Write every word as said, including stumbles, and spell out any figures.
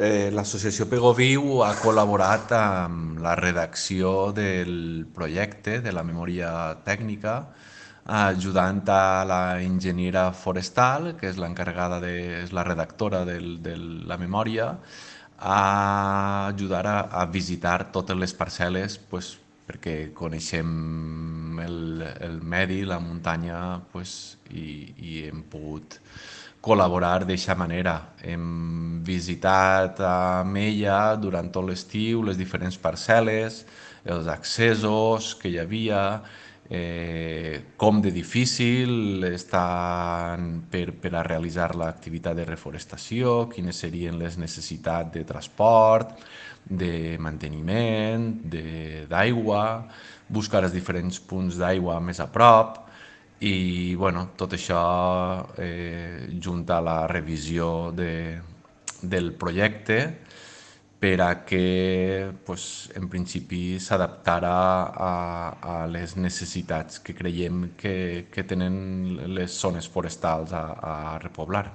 Eh, L'associació Pegoviu ha col·laborat amb la redacció del projecte de la memòria tècnica, ajudant a la enginyera forestal, que és l'encarregada de, és la redactora del, de la memòria, a ajudar a, a visitar totes les parcel·les, pues, perquè coneixem el, el medi, la muntanya, pues, i, i hem pogut col·laborar d'aquesta manera. Hem visitat amb ella durant tot l'estiu les diferents parcel·les, els accessos que hi havia, eh, com de difícil està per, per a realitzar l'activitat de reforestació, quines serien les necessitats de transport, de manteniment, d'aigua, buscar els diferents punts d'aigua més a prop, i bueno, tot això eh, junt a la revisió de, del projecte per a que pues, en principi s'adaptara a, a les necessitats que creiem que, que tenen les zones forestals a, a repoblar.